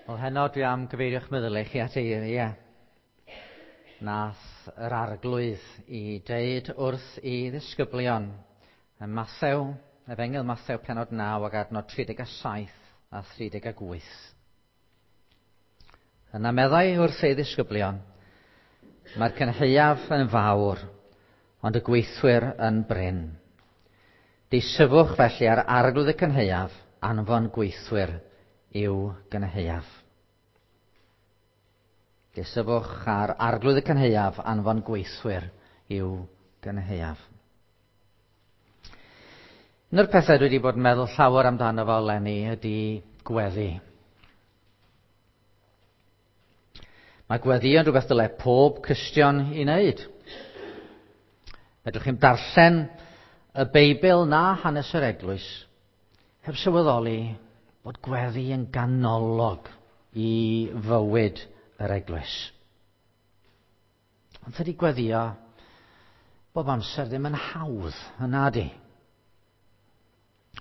Wel, heno dwi am gyfeirio'ch meddyliau chi at eiriau nath yr arglwydd i deud wrth i ddisgyblion ym Mathew, Efengyl Mathew penod 9 ac adnod 37 a 38. Yna meddai wrth ei ddisgyblion, mae'r cynhaeaf yn fawr, ond y gweithwyr yn brin. Deisyfwch felly ar arglwydd y cynhaeaf, anfon gweithwyr i'w gynhaeaf. Deisyfwch ar arglwydd y cynhaeaf, anfon gweithwyr i'w gynhaeaf. Un o'r pethau dwi wedi bod yn meddwl llawer amdano fo eleni ydy gweddi. Mae gweddi yn rhywbeth dyle pob Cristion i wneud. Fedrwch chi'm darllen y Beibl na hanes yr eglwys heb sylweddoli bod gweddi yn ganolog i fywyd yr eglwys. Ond tydi gweddio bob amser ddim yn hawdd, yn nadi.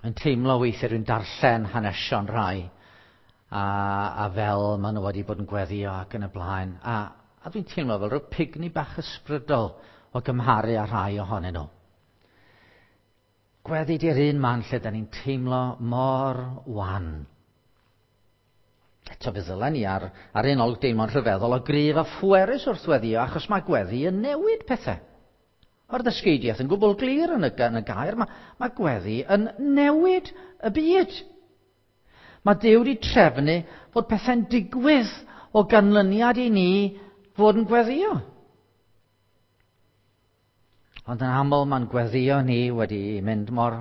Yn teimlo weithiau dwi'n darllen hanesion rhai a, a fel maen nhw wedi bod yn gweddio ac yn y blaen. A, a dwi'n teimlo fel rhyw pigni bach ysbrydol o gymharu â rhai ohonyn nhw. Gweddi di'r un man lle da ni'n teimlo mor wan. Eto fe ddylen ni ar, ar un olwg deimlo'n rhyfeddol o gryf a phwerus wrth weddio, achos mae gweddi yn newid pethau. Mae'r ddysgeidiaeth yn gwbl glir yn y, yn y gair, mae, mae gweddi yn newid y byd. Mae Duw wedi trefnu fod pethau'n digwydd o ganlyniad i ni fod yn gweddio. Ond yn aml mae'n gweddio ni wedi mynd mor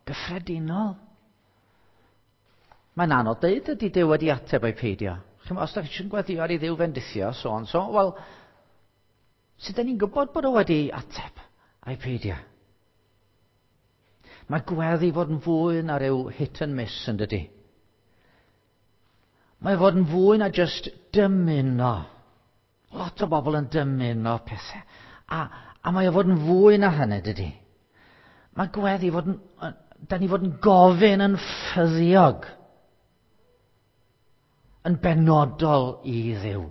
gyffredinol. Mae'n anodd deud ydy Duw wedi ateb o'i peidio. Chymod, os da chi eisiau gweddio ar i Dduw fendithio, so on so, wel, sut da ni'n gwybod bod o wedi ateb a'i peidio? Mae gweddi fod yn fwy na rhyw hit and miss yn dydy. Mae fod yn fwy na just dymuno. Lot o bobl yn dymuno pethau. A, a mae o fod yn fwy na hynny, dydy. Mae gweddi fod yn... Da ni fod yn gofyn yn ffyddiog. Yn benodol i Dduw.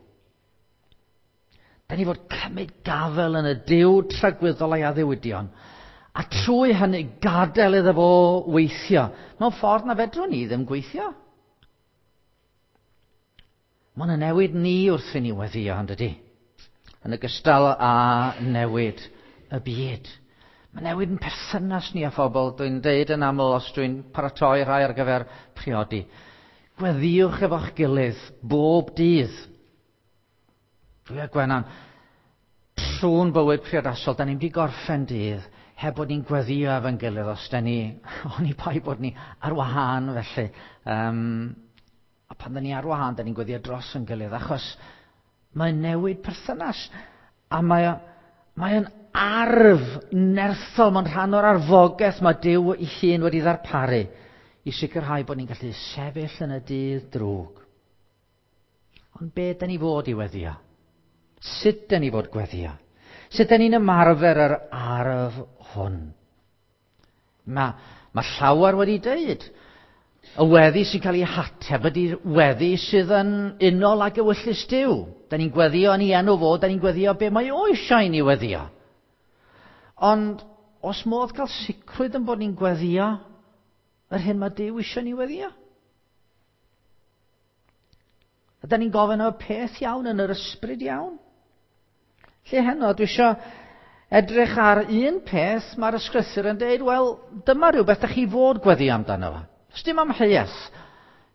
Da ni fod cymryd gafel yn y Duw tragwyddol a'i addewidion. A trwy hynny gadael iddo fo weithio. Mewn ffordd na fedrwn ni ddim gweithio. Mae yna newid ni wrth i ni weddio, yn dydy? Yn ogystal â newid y byd. Mae newid yn perthynas ni â phobl. Dwi'n deud yn aml os dwi'n paratoi rhai ar gyfer priodi. Gweddiwch efo'ch gilydd bob dydd. Dwi a Gwenan, trwy'n bywyd priodasol, da ni'n wedi gorffen dydd heb bod ni'n gweddio efo'n gilydd os da ni, oni bai bod ni ar wahân felly. Um, A pan da ni ar wahân, da ni'n gweddio dros yn gilydd, achos mae'n newid perthynas. A mae, mae'n arf nerthol, mae'n rhan o'r arfogaeth mae Duw ei hun wedi ddarparu i sicrhau bod ni'n gallu sefyll yn y dydd drwg. Ond be da ni fod i weddio? Sut da ni fod gweddio? Sut da ni'n ymarfer yr arf hwn? Mae, mae llawer wedi dweud, y weddi sy'n cael ei hateb ydy'r weddi sydd yn unol ag ewyllys Duw. Da ni'n gweddio yn ei enw fo, da ni'n gweddio be mae o eisiau i ni weddio. Ond os modd cael sicrwydd yn bod ni'n gweddio yr hyn mae Duw eisiau ni weddio? Ydy ni'n gofyn am y peth iawn yn yr ysbryd iawn? Lle heno, dwi eisiau edrych ar un peth mae'r ysgrythur yn dweud, wel, dyma rhywbeth da chi fod gweddio amdano fo. Does dim amheuaeth.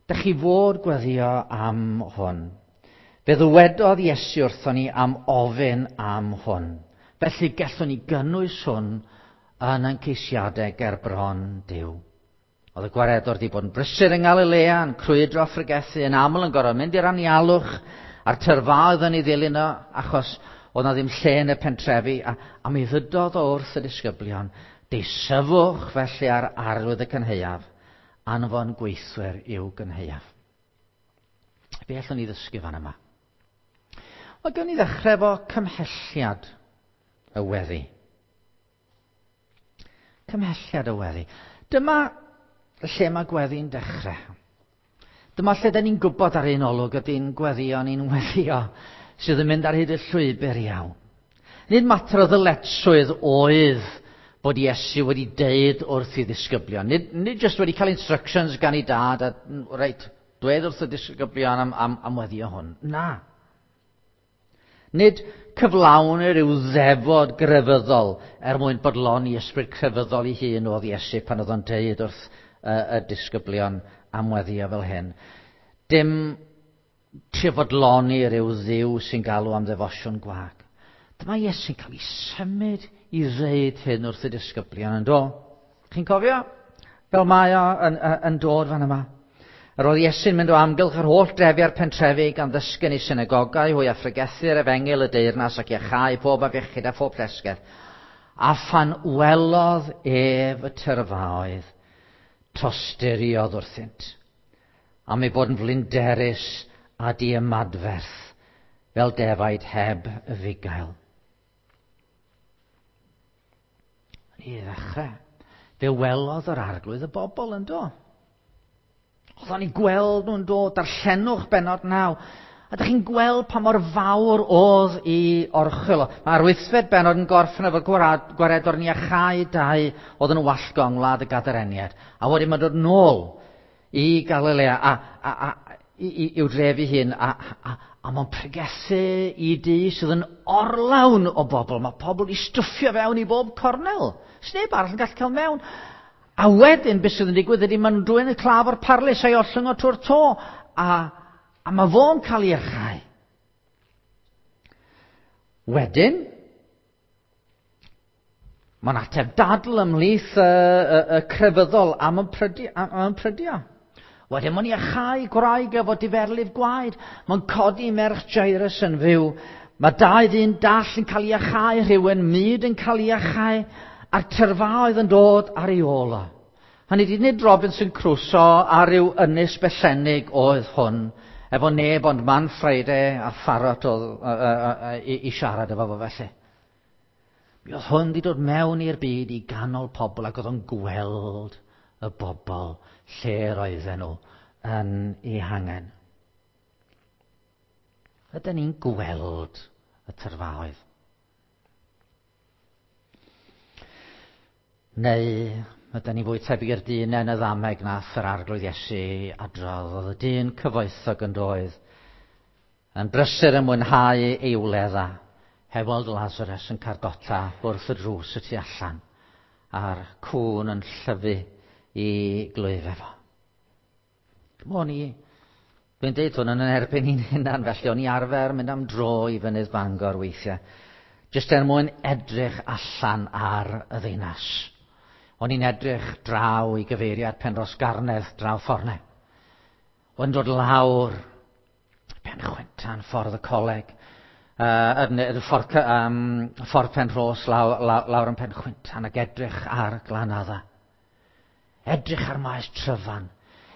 Da chi fod gweddio am hwn. Fe ddywedodd Iesu wrthon ni am ofyn am hwn. Felly gallwn ni gynnwys hwn yn ein ceisiadau ger bron Duw. Oedd y gwaredwr wedi bod yn brysur yng Ngalilea, yn crwydro a phregethu, yn aml yn gorfod mynd i'r anialwch, a'r tyrfaoedd yn ei ddilyn o, achos oedd na ddim lle yn y pentrefi, a, a mi ddydodd o wrth y disgyblion, deisyfwch felly ar arwydd y cynhaeaf, anfon gweithwyr i'w gynhaeaf. Be allwn ni ddysgu fan yma? Wel, gawn ni ddechrau efo cymhelliad y weddi. Cymhelliad y weddi. Dyma lle mae gweddi'n dechrau. Dyma lle da ni'n gwybod ar un olwg ydy'n gweddio ni'n weddio sydd yn mynd ar hyd y llwybr iawn. Nid mater o ddyletswydd oedd bod Iesu wedi deud wrth i ddisgyblion. Nid, nid jyst wedi cael instructions gan ei dad a, reit, dweud wrth y disgyblion am, am, am weddio hwn. Na. Nid cyflawn rhyw ddefod grefyddol er mwyn bodloni ysbryd crefyddol ei hun oedd Iesu pan oedd o'n deud wrth y, y disgyblion am weddio fel hyn. Dim trio fodloni rhyw ddiw sy'n galw am ddefosiwn gwag. Dyma Iesu'n cael ei symud i ddeud hyn wrth y disgyblion yn do. Chi'n cofio? Fel mae o yn, yn, dod fan yma. Yr oedd Iesu'n mynd o amgylch yr holl drefi a'r pentrefi gan ddysgu yn ei synagogau hwy a phregethu'r efengyl y deyrnas ac iachau pob afiechyd a phob llesgedd. A phan welodd ef y tyrfaoedd, tosturiodd wrthynt, am ei bod yn flinderus a diymadferth fel defaid heb y fugail. I ddechrau, fe welodd yr arglwydd y bobl yn do. Oedd o'n i gweld nhw'n dod, darllenwch benod naw. A ydych chi'n gweld pa mor fawr oedd i orchwyl. Mae'r wythfed benod yn gorffen efo gwaredwr ni a chau dau oedd yn wallgo yng ngwlad y Gadareniad. A wedyn mae'n dod nôl i Galilea a, a, a, i, i'w dref ei hun a, a, a mae'n pregethu i dŷ sydd yn orlawn o bobl. Mae pobl i stwffio fewn i bob cornel. Sneb arall yn gallu cael mewn. A wedyn, beth sydd yn digwydd ydy, maen nhw'n dwyn y claf o'r parlys a'i ollwng o trwy'r to. A, a mae fo'n cael ei iachau. Wedyn, mae'n ateb dadl ymhlith y, y, y crefyddol am y prydio. Am y prydio. Wedyn mae'n iachau gwraig efo diferlif gwaed. Mae'n codi merch Jairus yn fyw. Mae dau ddyn dall yn cael ei iachau, rhywun myd yn cael ei iachau, a'r tyrfaoedd yn dod ar ei ôl o. Hynny di nid Robinson Crusoe a rhyw ynys bellennig oedd hwn, efo neb ond Man Friday a Pharot oedd, i, i siarad efo fo felly. Mi oedd hwn wedi dod mewn i'r byd i ganol pobl ac oedd o'n gweld y bobl lle roedden nhw yn ei hangen. Ydyn ni'n gweld y tyrfaoedd? Neu ydyn ni fwy tebyg i'r dyn yn y ddameg nath yr arglwydd Iesu adrodd. Oedd y dyn cyfoethog yn doedd yn brysur yn mwynhau ei wledda heb weld Lazarus yn cardota wrth y drws y tu allan a'r cwn yn llyfu i glwyf efo. O'n i, dwi'n deud hwn yn erbyn i'n hunan, felly o'n i arfer mynd am dro i fynydd Bangor weithiau, jyst er mwyn edrych allan ar y ddinas. O'n i'n edrych draw i gyfeiriad Penrhos Garnedd draw ffordd O'n dod lawr Pen Chwentan, ffordd y coleg, uh, ffordd, um, ffordd Penrhos lawr, lawr, lawr yn Pen Chwentan ac edrych ar Glanadda. Edrych ar maes Tryfan.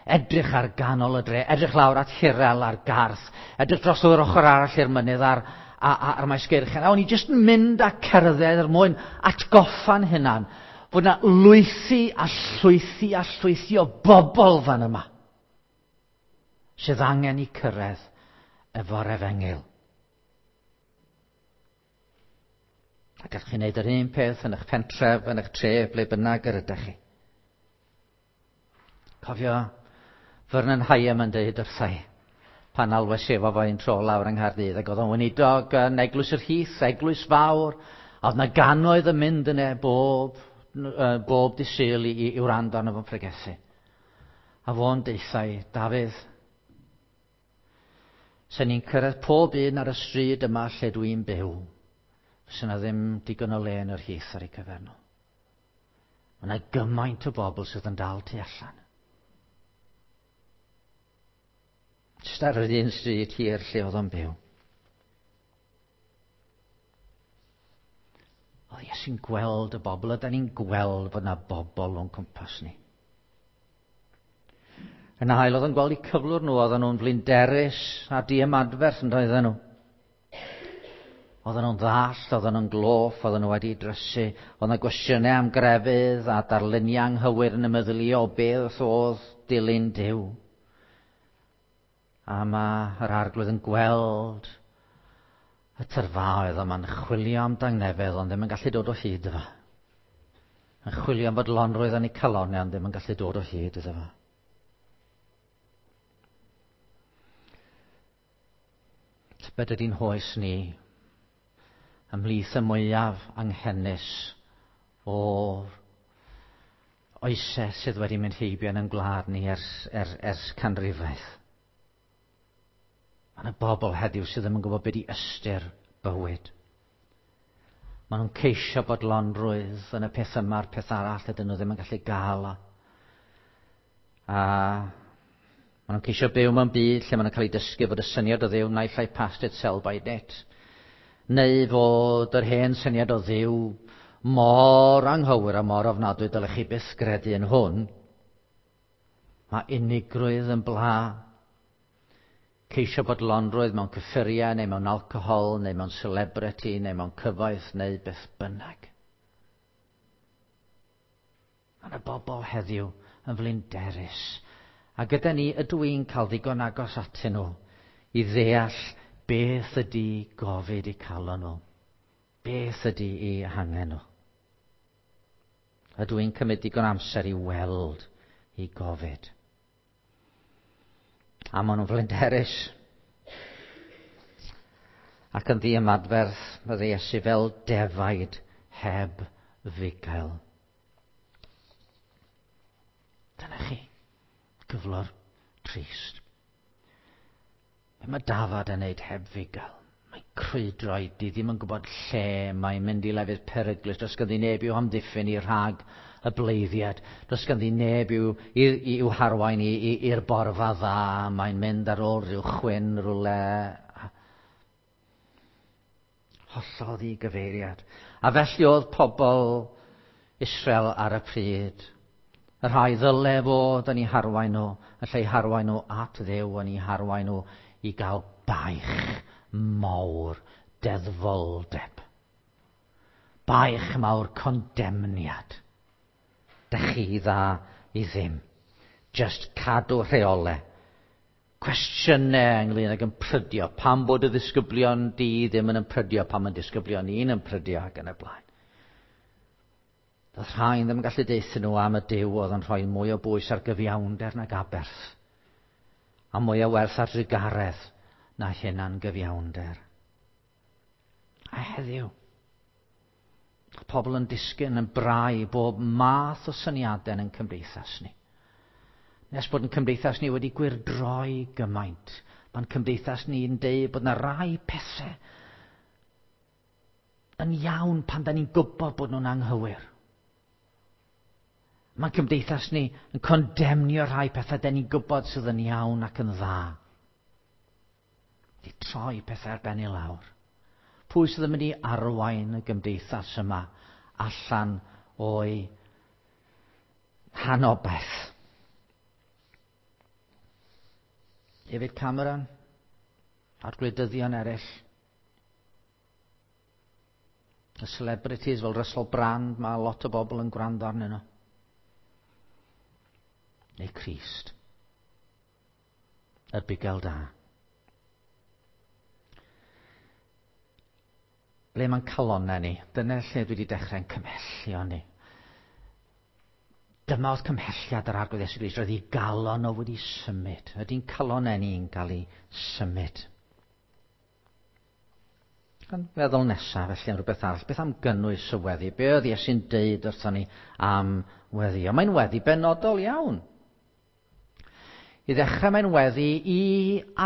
Edrych ar ganol y dre. Edrych lawr at Hirel a'r Garth. Edrych dros yr ochr arall i'r mynydd ar, ar, ar maes Geirchen. A o'n i jyst yn mynd a cerdded er mwyn atgoffa'n hunan fod yna lwythi a llwythi a llwythi o bobl fan yma sydd angen i cyrraedd efo'r efengyl. A gallwch chi wneud yr un peth yn eich pentref, yn eich tref, ble bynnag yr ydych chi. Cofio Vernon Hyam yn dweud wrthai pan alwes i efo fo un tro lawr yng Nghaerdydd ac oedd o'n weinidog yn Eglwys yr Heath, eglwys fawr, a oedd yna gannoedd yn mynd yna bob, bob dydd Sul i, i, i wrando arno fo'n pregethu. A fo'n deuthai, Dafydd, sen ni'n cyrraedd pob un ar y stryd yma lle dwi'n byw, fysa yna ddim digon o le yn yr Heath ar eu cyfer nhw. Mae yna gymaint o bobl sydd yn dal tu allan. Jyst ar yr un stryd hir lle oedd o'n byw. Oedd Iesu'n gweld y bobl, ydy ni'n gweld bod yna bobl o'n cwmpas ni. Yn ail, oedd o'n gweld eu cyflwr nhw, oedden nhw'n flinderus a diymadferth yn doedden nhw. Oedden nhw'n ddall, oedden nhw'n gloff, oedden nhw wedi drysu. Oedd yna gwestiynau am grefydd a darluniau anghywir yn y meddyliau o beth oedd dilyn Duw. A mae yr arglwydd yn gweld y tyrfaoedd yma'n chwilio am dangnefedd, ond ddim yn gallu dod o hyd iddo. Yn chwilio am fodlonrwydd yn eu calonnau, ond ddim yn gallu dod o hyd iddo fo. Tybed ydy'n hoes ni ymhlith y mwyaf anghenus o oesau sydd wedi mynd heibio yn ein gwlad ni ers, ers, ers canrifaeth. Mae yna bobl heddiw sydd ddim yn gwybod beth i ystyr bywyd. Maen nhw'n ceisio bodlonrwydd yn y peth yma a'r peth arall ydyn nhw ddim yn gallu gael o. A maen nhw'n ceisio byw mewn byd lle maen nhw'n cael eu dysgu fod y syniad o Dduw naill ai past it sell by net, neu fod yr hen syniad o Dduw mor anghywir a mor ofnadwy dylech chi byth gredu yn hwn. Mae unigrwydd yn bla. Ceisio bodlonrwydd mewn cyffuriau neu mewn alcohol neu mewn celebrity neu mewn cyfoeth neu beth bynnag. Mae yna bobl heddiw yn flinderus. A gyda ni ydw i'n cael ddigon agos atyn nhw i ddeall beth ydy gofid eu calon nhw. Beth ydy eu hangen nhw. Ydw i'n cymryd digon amser i weld i gofid. A maen nhw'n flinderus. Ac yn ddiymadferth, mae Iesu fel defaid heb fugail. Dyna chi, gyflwr trist. Be mae dafad yn neud heb fugail? Mae'n crwydro i di ddim yn gwybod lle mae'n mynd i lefydd peryglus. Does ganddi neb i'w hamddiffyn i rhag y bleiddiad. Does ganddi neb i'w, i'w harwain i'r borfa dda. Mae'n mynd ar ôl rhyw chwyn rhywle. Hollol ddigyfeiriad. A felly oedd pobl Israel ar y pryd. Y rhai ddyle fod yn eu harwain nhw, yn lle eu harwain nhw at Dduw, yn eu harwain nhw i gael baich mawr deddfoldeb. Baich mawr condemniad. Dych chi dda i ddim. Just cadw rheolau. Cwestiynau ynglyn ag ymprydio. Pam bod y ddisgyblion di ddim yn ymprydio, pam yn disgyblion ni'n ymprydio ac yn y blaen. Doedd rhain ddim yn gallu deuthyn nhw am y Duw oedd yn rhoi mwy o bwys ar gyfiawnder nag aberth, a mwy o werth ar drugaredd na hunan gyfiawnder. A heddiw, pobl yn disgyn yn brau bob math o syniadau yn cymdeithas ni. Nes bod yn cymdeithas ni wedi gwyrdroi gymaint. Mae'n cymdeithas ni'n deud bod yna rai pethau yn iawn pan da ni'n gwybod bod nhw'n anghywir. Mae'n cymdeithas ni yn condemnio rhai pethau da ni'n gwybod sydd yn iawn ac yn dda. Di troi pethau ar ben i lawr. Pwy sydd yn mynd i arwain y gymdeithas yma allan o'i hanobaith? David Cameron a'r gwleidyddion eraill. Y celebrities fel Russell Brand, mae lot o bobl yn gwrando arnyn nhw. Neu Crist. Y bugail da. Ble mae'n calonnau ni? Dyna lle dwi wedi dechrau'n cymhellio ni. Dyma oedd cymhelliad yr Arglwydd Iesu Grist. Roedd ei galon o wedi symud. Ydy'n calonnau ni'n cael ei symud? Gan feddwl nesaf, felly am rhywbeth arall. Beth am gynnwys y weddi? Be oedd Iesu'n deud wrthon ni am weddi? Mae'n weddi benodol iawn. I ddechrau mae'n weddi i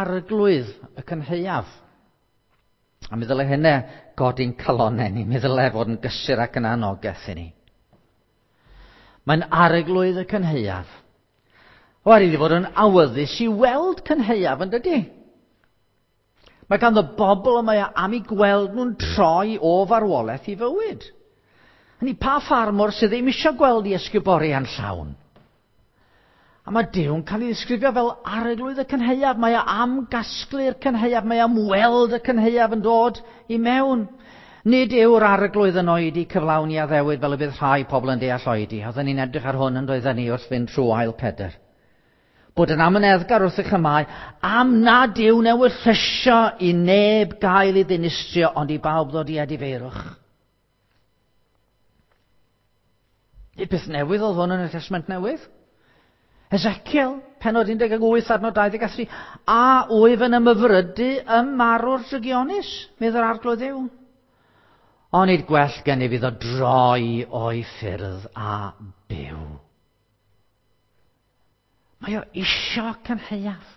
arglwydd y cynhaeaf. A mi ddyle hynna godi'n calonnau ni. Mi ddyle fod yn gysur ac yn anogaeth i ni. Mae'n arglwydd y cynhaeaf. O, ar iddi fod yn awyddus i weld cynhaeaf, yn dydy? Mae ganddo bobl y mae am eu gweld nhw'n troi o farwolaeth i fywyd. Hynny, pa ffarmwr sydd ddim eisiau gweld i ysguboriau'n llawn? A mae Duw'n cael ei ddisgrifio fel arglwydd y cynhaeaf. Mae o am gasglu'r cynhaeaf, mae am weld y cynhaeaf yn dod i mewn. Nid yw'r arglwydd yn oedi cyflawni addewid fel y bydd rhai pobl yn deall oedi. Oedden ni'n edrych ar hwn yn doedden ni wrth fynd trwy ail Pedr. Bod yn amyneddgar wrth eich ymau, am nad yw'n ewyllysio i neb gael ei ddinistrio, ond i bawb ddod i edifeirwch. Nid beth newydd oedd hwn yn y Testament Newydd. Ezekiel, pennod 18, adnod 23, a wyf yn ymhyfrydu ym marw'r drygionus, medd yr Arglwydd Dduw. Onid gwell gennyf iddo droi o'i ffyrdd a byw. Mae o isio cynhaeaf.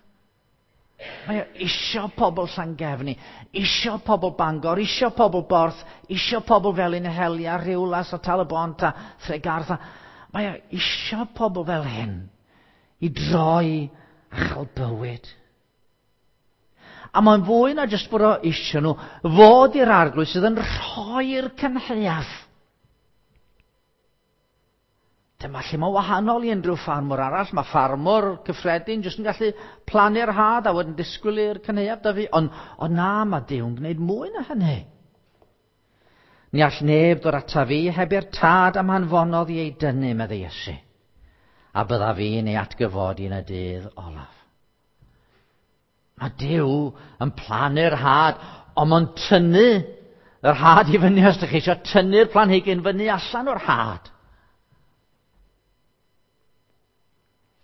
Mae o isio pobl Llangefni, isio pobl Bangor, isio pobl Borth, isio pobl Felinheli a Rhiwlas a Tal-y-bont a Thregartha. Mae o isio pobl fel hyn i droi a chael bywyd. A mae'n fwy na jyst bod o isio nhw fod i'r Arglwydd sydd yn rhoi'r cynhaeaf. Dyma lle mae'n wahanol i unrhyw ffarmwr arall. Mae ffarmwr cyffredin jyst yn gallu plannu'r had a wedyn disgwyl i'r cynhaeaf dyfu. Ond na, mae Duw'n gwneud mwy na hynny. Ni all neb ddod ata fi heb i'r tad am hanfonodd i ei dynnu, meddai Iesu. A bydda fi'n ei atgyfodi yn y dydd olaf. Mae Duw yn plannu'r had, ond mae'n tynnu yr had i fyny os ydych chi eisiau tynnu'r planhigyn fyny allan o'r had.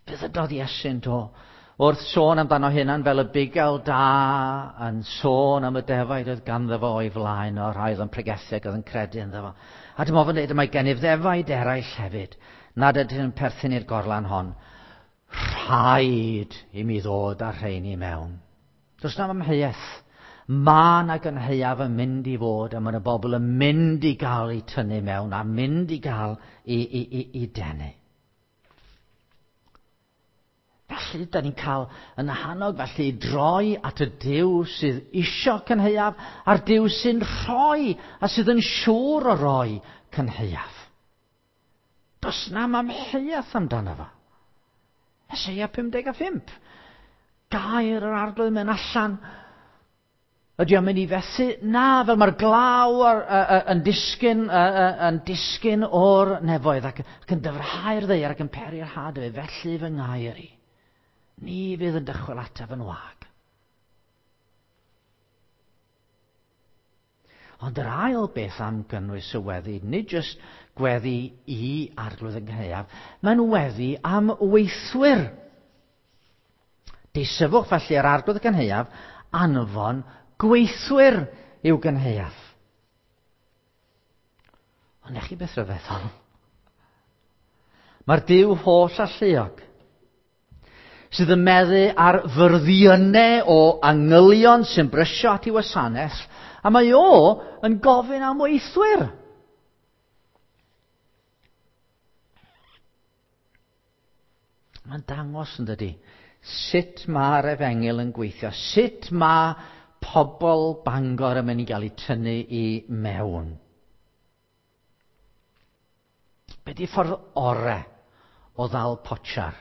Be ddydodd Iesu'n do? Wrth sôn amdano hunan fel y bugail da yn sôn am y defaid oedd ganddo fo o'i flaen o'r rhai oedd yn pregethu ac oedd yn credu ynddo fo. A dyma fo'n dweud, mae gennyf ddefaid eraill hefyd, nad ydyn yn perthyn i'r gorlan hon. Rhaid i mi ddod â'r rheini mewn. Does na'm amheuaeth. Mae 'na gynhaeaf yn mynd i fod, a mae 'na bobl yn mynd i gael eu tynnu mewn a mynd i gael i denu. Felly, da ni'n cael yn hannog felly i droi at y Duw sydd isio cynhaeaf a'r Duw sy'n rhoi a sydd yn siŵr o roi cynhaeaf. Does na'm amheuaeth amdano fo. Eseia 55. Gair yr Arglwydd mynd allan. Ydy o'n mynd i fethu? Na, fel mae'r glaw yn disgyn o'r nefoedd ac yn dyfrhau'r ddaear ac yn peri'r had efo, felly fy ngair i. Ni fydd yn dychwel ataf yn wag. Ond yr ail beth am gynnwys y weddi, nid jyst gweddi i Arglwydd y Cynhaeaf, mae'n weddi am weithwyr. Deisyfwch felly yr Arglwydd y Cynhaeaf anfon gweithwyr i'w gynhaeaf. Ond ech chi beth rhyfeddol? Mae'r Duw holl alluog sydd yn meddu ar fyrddiynau o angylion sy'n brysio at ei wasanaeth, a mae o yn gofyn am weithwyr. Mae'n dangos yn dydi sut mae'r efengyl yn gweithio, sut mae pobl Bangor yn mynd i gael eu tynnu i mewn. Be di ffordd ore o ddal potsiar?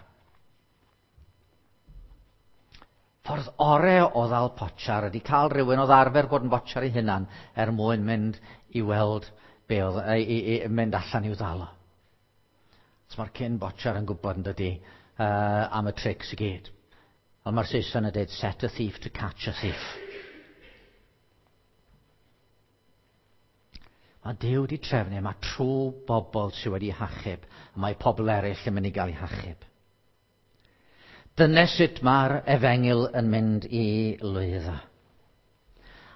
Ffordd ore o ddal potsiar ydy cael rhywun oedd arfer bod yn botsiar ei hunan er mwyn mynd i weld be oedd, i mynd allan i'w ddal o. So mae'r cyn botsiar yn gwybod yn dydi am y trics i gyd. Ond mae'r Saeson yn dweud, set a thief to catch a thief. Mae Duw wedi trefnu, mae trwy bobl sydd wedi hachub, a mae pobl eraill yn mynd i gael eu hachub. Dyna sut mae'r efengyl yn mynd i lwyddo.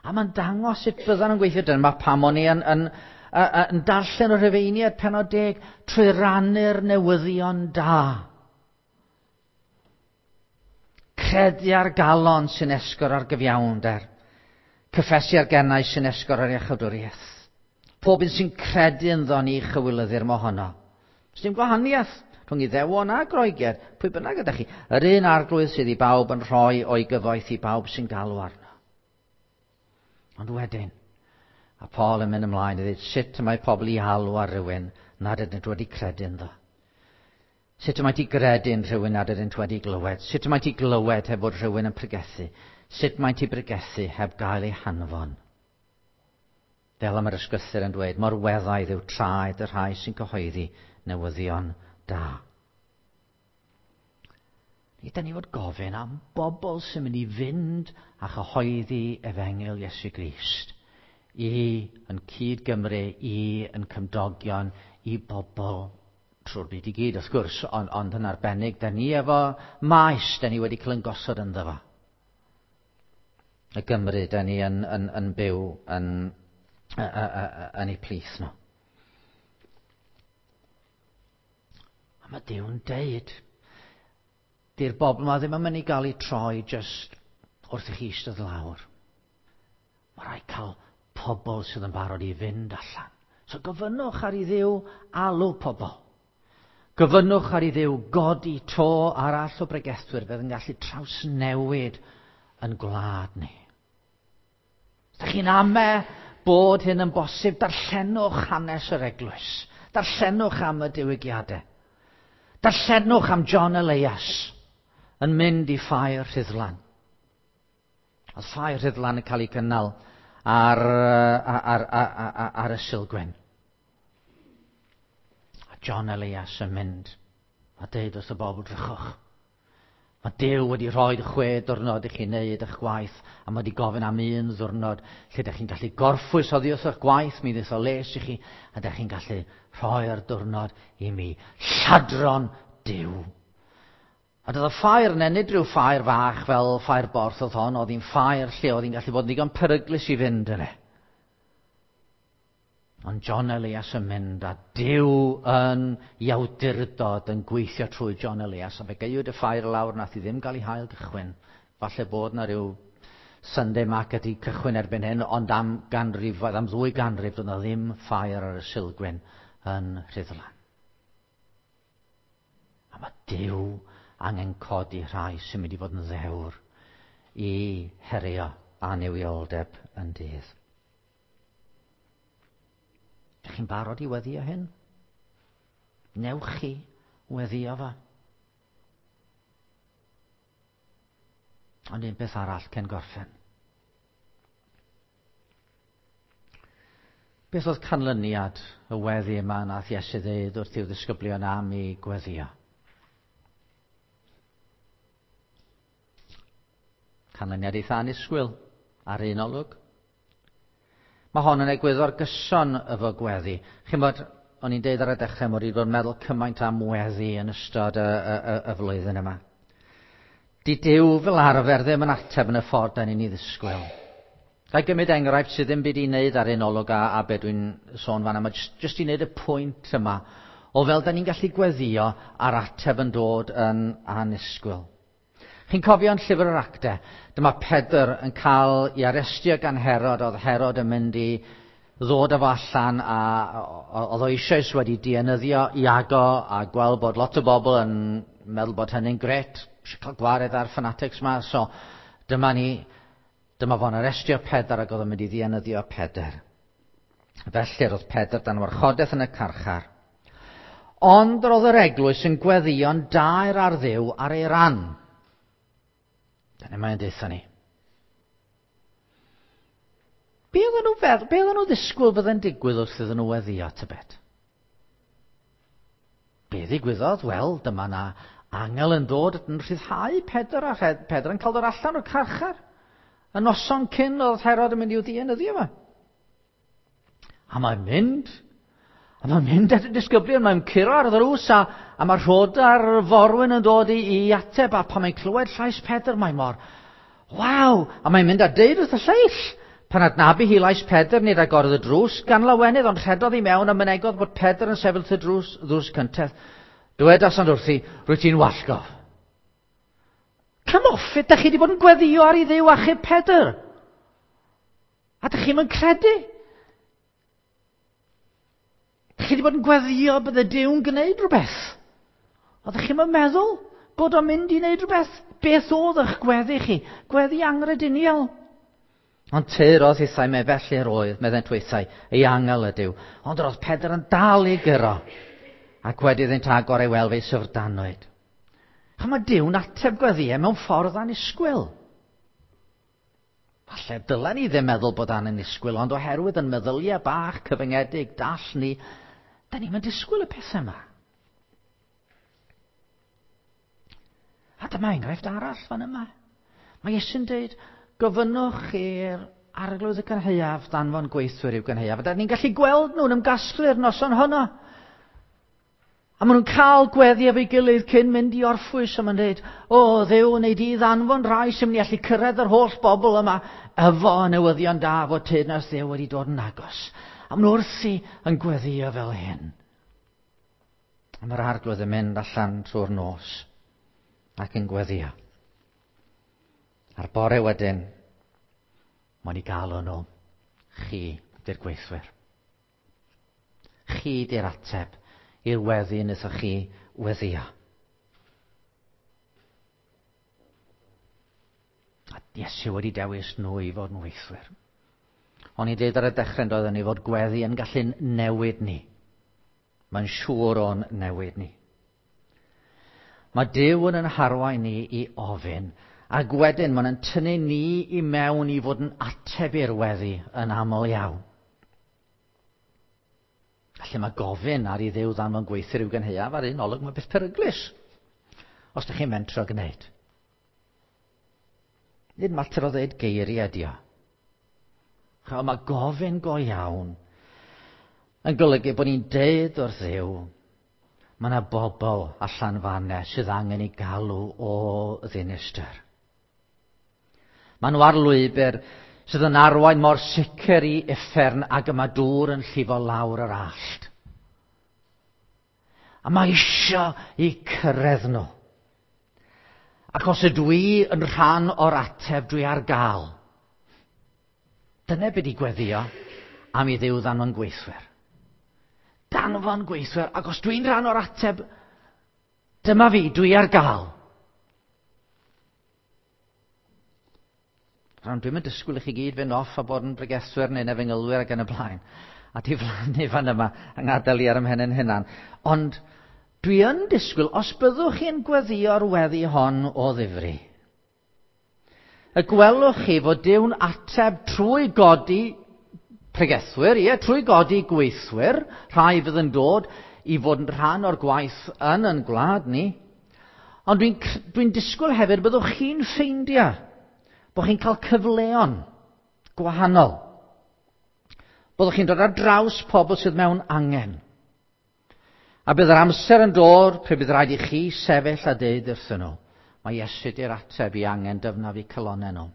A mae'n dangos sut byddan nhw'n gweithio. Dyna pam o'n i yn darllen o'r Rhufeiniaid pennod 10 trwy rannu'r newyddion da. Credu ar galon sy'n esgor ar gyfiawnder. Cyffesu ar gennau sy'n esgor ar iachawdwriaeth. Pob un sy'n credu ynddo ni chywilyddir mohono. Does dim gwahaniaeth rhwng Iddewon a Groegiaid, pwy bynnag ydych chi. Yr un Arglwydd sydd i bawb yn rhoi o'i gyfoeth i bawb sy'n galw arno. Ond wedyn, a Paul yn mynd ymlaen i ddweud sut y mae pobl i alw ar rywun nad ydynt wedi credu ynddo. Sut y mae ti gredu yn rhywun nad ydynt wedi glywed? Sut y mae ti glywed heb fod rhywun yn pregethu? Sut mae ti pregethu heb gael ei hanfon? Fel am yr ysgrythur yn dweud, mor weddaidd yw traed y rhai sy'n cyhoeddi newyddion da. Ni da ni fod gofyn am bobl sy'n mynd i fynd a chyhoeddi efengyl Iesu Grist i yn cyd Gymru, i yn cymdogion, i bobl trwy'r byd i gyd, wrth gwrs, ond, ond yn arbennig, da ni efo maes, da ni wedi cael yn gosod ynddo fo. Y Gymru, da ni yn, yn, yn byw yn, yn ei plith nhw. A mae Duw'n deud, di'r bobl yma ddim yn mynd i gael eu troi jyst wrth i chi eistedd lawr. Mae rhaid cael pobl sydd yn barod i fynd allan. So gofynnwch ar i Dduw alw pobl. Gofynnwch ar i Dduw godi to arall o bregethwyr fydd yn gallu trawsnewid yn gwlad ni. Ydych chi'n ame bod hyn yn bosib, darllenwch hanes yr eglwys. Darllenwch am y diwygiadau. Darllenwch am John Elias yn mynd i ffair Rhuddlan. Oedd ffair Rhuddlan yn cael ei gynnal ar, ar, ar, ar, ar y Silgwyn. A John Elias yn mynd a deud wrth y bobl, drychwch, Mae Duw wedi rhoi chwe diwrnod i chi wneud eich gwaith, a mae wedi gofyn am un ddiwrnod lle ydych chi'n gallu gorffwys oddi wrth eich gwaith, mi ddeith o les i chi, a ydych chi'n gallu rhoi'r diwrnod i mi. Lladron Duw. A doedd y ffair yna, nid rhyw ffair fach fel ffair borth oedd hon, oedd hi'n ffair lle oedd hi'n gallu bod yn ddigon peryglus i fynd yna. Ond John Elias yn mynd a Duw yn i awdurdod yn gweithio trwy John Elias. A fe gaewyd y ffair lawr, nath i ddim gael ei hail gychwyn. Falle bod na rhyw Sunday market i cychwyn erbyn hyn, ond am ganrifoedd, am ddwy ganrif, doedd na ddim ffair ar y Silgwyn yn Rhuddlan. A mae Duw angen codi rhai sy'n mynd i fod yn ddewr i herio annuwioldeb yn dydd. Ydych chi'n barod i weddio hyn? Newch chi weddio fo? Ond un peth arall cyn gorffen. Beth oedd canlyniad y weddi yma nath Iesu ddeud wrth i'w ddisgyblion am i gweddio? Canlyniad eitha annisgwyl ar un olwg. Mae hon yn egwyddor gyson efo gweddi. Chi'n bod, o'n i'n deud ar y dechrau, mod i wedi bod yn meddwl cymaint am weddi yn ystod y, y, y, y flwyddyn yma. Di Duw fel arfer ddim yn ateb yn y ffordd da ni'n ei ddisgwyl. Ga i gymryd enghraifft sydd ddim byd i wneud ar un olwg a, a be dwi'n sôn fan yma, jyst, jyst i wneud y pwynt yma o fel da ni'n gallu gweddio a'r ateb yn dod yn annisgwyl. Chi'n cofio yn llyfr yr Actau, dyma Pedr yn cael ei arestio gan Herod, oedd Herod yn mynd i ddod â fo allan a oedd o eisoes wedi dienyddio Iago a gweld bod lot o bobl yn meddwl bod hynny'n gret, eisiau cael gwared ar fanatics ma, so dyma ni, dyma fo'n arestio Pedr ac oedd o'n mynd i ddienyddio Pedr. Felly roedd Pedr dan warchodaeth yn y carchar. Ond roedd yr eglwys yn gweddïo'n daer ar Dduw ar ei ran. Dyna mae'n deutha ni. Be oedden nhw feddwl, be oedden nhw ddisgwyl fydde'n digwydd wrth iddyn nhw weddio, tybed? Be ddigwyddodd? Wel, dyma na angel yn dod yn rhyddhau Pedr a Pedr yn cael dod allan o'r carchar. Y noson cyn oedd Herod yn mynd i'w ddienyddio yma. A mae'n mynd, a mae'n mynd at y disgyblion, mae'n curo ar ddrws, a, a mae Rhoda'r forwyn yn dod i, i ateb, a pan mae'n clywed llais Pedr, mae mor, waw! A mae'n mynd a deud wrth y lleill, pan adnabu hi lais Pedr, nid agorodd y drws, gan lawenydd, ond rhedodd i mewn a mynegodd bod Pedr yn sefyll wrth y drws, ddrws cyntedd. Dywedasant wrthi, rwyt ti'n wallgof. Come off it, da chi wedi bod yn gweddio ar i Dduw achub Pedr. A dych chi'm yn credu? Dych chi wedi bod yn gweddio bydde Duw'n gwneud rhywbeth. Oeddech chi'm yn meddwl bod o'n mynd i wneud rhywbeth? Beth oedd eich gweddi chi? Gweddi angrediniol. Ond tyrodd hithau me felly yr oedd, meddent weithiau, ei angel ydyw. Ond yr oedd Pedr yn dal i gyro, ac wedi iddynt agor ei weld fe'i syfrdanwyd. Ch'mod, mae Duw'n ateb gweddïau mewn ffordd annisgwyl. Falle dylen ni ddim meddwl bod annisgwyl, ond oherwydd yn meddyliau bach cyfyngedig, dall ni, da ni'n mynd disgwyl y pethau yma. A dyma enghraifft arall fan yma. Mae Iesu'n dweud, gofynnwch i'r arglwydd y cynhaeaf danfon gweithwyr i'w gynhaeaf. A da ni'n gallu gweld nhw'n ymgasglu'r noson honno. A maen nhw'n cael gweddi efo'i gilydd cyn mynd i orffwys a maen dweud, o, Dduw, wnei di ddanfon rhai sy'n mynd i allu cyrraedd yr holl bobl yma efo newyddion da fod teyrnas Dduw wedi dod yn agos. A maen nhw wrthi yn gweddio fel hyn. A mae'r arglwydd yn mynd allan trwy'r nos ac yn gweddio. A'r bore wedyn, mae'n i gael nhw, chi di'r gweithwyr. Chi di'r ateb i'r weddi wnaethoch chi weddio. A Iesu wedi dewis nhw i fod yn weithwyr. O'n i'n dweud ar y dechrau yn doeddwn ni fod gweddi yn gallu newid ni. Mae'n siŵr o'n newid ni. Mae Duw yn yn harwain ni i ofyn, ac wedyn mae'n tynnu ni i mewn i fod yn ateb i'r weddi yn aml iawn. Felly mae gofyn ar i Dduw ddanfon gweithwyr i'w gynhaeaf ar un olwg, mae beth peryglus. Os ydych chi'n mentro gwneud. Nid mater o ddeud geiriau ydi o. Mae gofyn go iawn yn golygu bod ni'n deud wrth Dduw, mae yna bobl allan fanna sydd angen ei galw o ddinistr. Maen nhw ar lwybr sydd yn arwain mor sicr i uffern ag y mae dŵr yn llifo lawr yr allt. A mae isio i cyrraedd nhw. Ac os ydw i yn rhan o'r ateb, dwi ar gael. Dyna beth i gweddio am i Dduw ddanfon gweithwyr. Danfon gweithwyr, ac os dwi'n rhan o'r ateb, dyma fi, dwi ar gael. Rhan, dwi'n mynd disgwyl i chi gyd fynd off a bod yn bregethwyr neu'n efengylwyr ac yn y blaen. A diflannu fan yma yng ngadael i ar ymhen yn hunan. Ond dwi yn disgwyl, os byddwch chi'n gweddio'r weddi hon o ddifri, y gwelwch chi fod Duw'n ateb trwy godi pregethwyr, ie, trwy godi gweithwyr, rhai fydd yn dod i fod yn rhan o'r gwaith yn yn gwlad ni. Ond dwi'n dwi disgwyl hefyd byddwch chi'n ffeindio bod chi'n cael cyfleon gwahanol. Byddwch chi'n dod ar draws pobl sydd mewn angen. A bydd yr amser yn dod pryd bydd rhaid i chi sefyll a deud wrthyn nhw, mae Iesu di'r ateb i angen dyfnaf i calonnau nhw.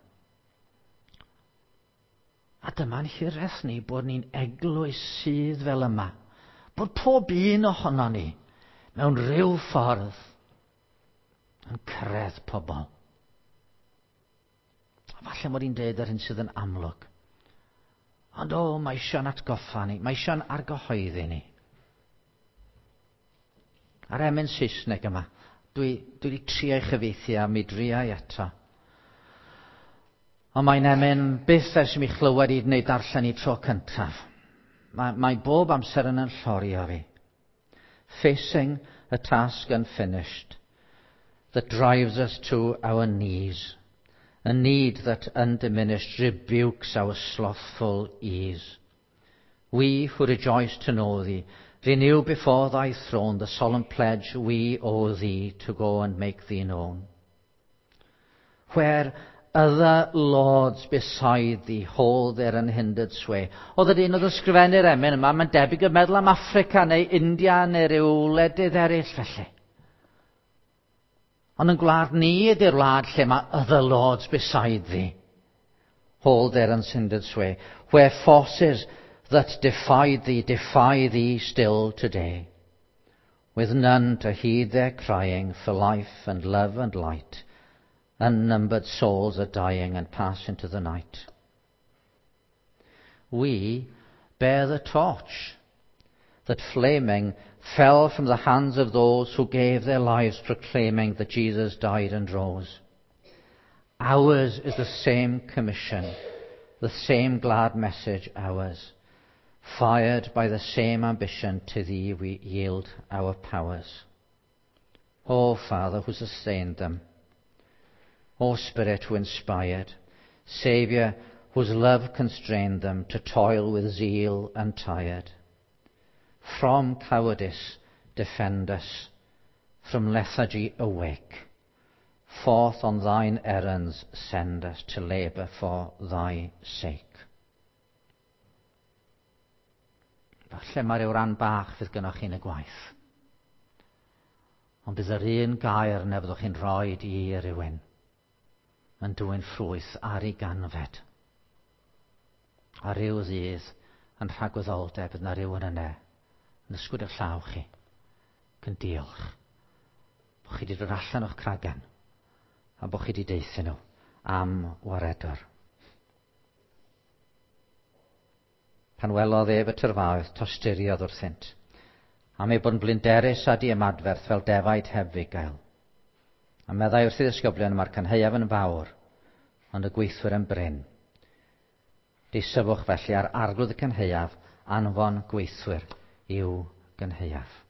A dyma'n hiraeth ni bod ni'n eglwys sydd fel yma. Bod pob un ohono ni mewn rhyw ffordd yn cyrraedd pobl. A falle mod i'n deud yr hyn sydd yn amlwg. Ond o, mae eisiau'n atgoffa ni, mae eisiau'n argyhoeddi ni. A'r emyn Saesneg yma, dwi wedi trio ei chyfieithu a mi driai eto. Ond mae'n emyn byth ers i mi chlywed i neu darllen i tro cyntaf. Mae bob amser yn yn llorio fi. Facing a task unfinished that drives us to our knees. A need that undiminished rebukes our slothful ease. We who rejoice to know thee, renew before thy throne the solemn pledge we owe thee to go and make thee known. Where other lords beside thee hold their unhindered sway. Oedd yr un oedd yn ysgrifennu'r emyn yma, mae'n debyg yn meddwl am Affrica neu India neu ryw wledydd eraill felly. Ond yn gwlad ni ydy'r wlad lle mae other lords beside thee hold their unhindered sway, where forces that defied thee defy thee still today, with none to heed their crying for life and love and light, unnumbered souls are dying and pass into the night. We bear the torch that flaming fell from the hands of those who gave their lives proclaiming that Jesus died and rose. Ours is the same commission, the same glad message ours. Fired by the same ambition, to thee we yield our powers. O Father who sustained them, O Spirit who inspired, Saviour whose love constrained them to toil with zeal untired. From cowardice defend us, from lethargy awake. Forth on thine errands send us to labour for thy sake. Falle mae rhyw ran bach fydd gynnwch chi'n y gwaith. Ond bydd yr un gair na fyddwch chi'n rhoi i rywun yn dwyn ffrwyth ar ei ganfed. A rhyw ddydd yn rhagwyddoldeb bydd na rhywun yna yn ysgwyd eich llaw chi ac yn diolch bod chi wedi dod allan o'ch cragen a bod chi wedi deithio nhw am waredwr. Pan welodd ef y tyrfaoedd, tosturiodd wrthynt, am ei bod yn blinderus a diymadferth fel defaid heb fugail. A meddai wrth ei ddisgyblion, mae'r cynhaeaf yn fawr, ond y gweithwyr yn brin. Deisyfwch felly ar arglwydd y cynhaeaf, anfon gweithwyr i'w gynhaeaf.